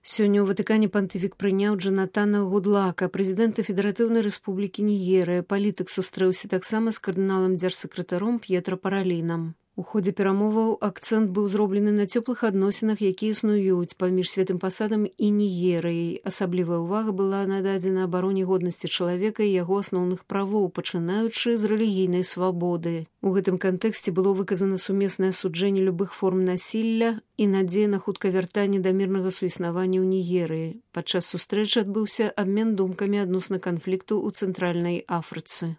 Сёння ў Ватыкане пантыфік прыняў Джонатана Гудлака, прэзідэнта Федэратыўнай Рэспублікі Нігерыя. Палітык сустрэўся таксама з кардыналам дзяржсакратаром П'етра Паралінам. У ходзе перамоваў акцэнт быў зроблены на цёплых адносінах, якія існуюць паміж Святым Пасадам і Нігерыяй. Асаблівая ўвага была нададзена абароне годнасці чалавека і яго асноўных правоў, пачынаючы з рэлігійнай свабоды. У гэтым кантэксце было выказана сумеснае асуджэнне любых форм насілля і надзея на хуткае вяртанне да мірнага суіснавання ў Нігерыі. Падчас сустрэчы адбыўся абмен думкамі адносна канфлікту ў Цэнтральнай Афрыцы.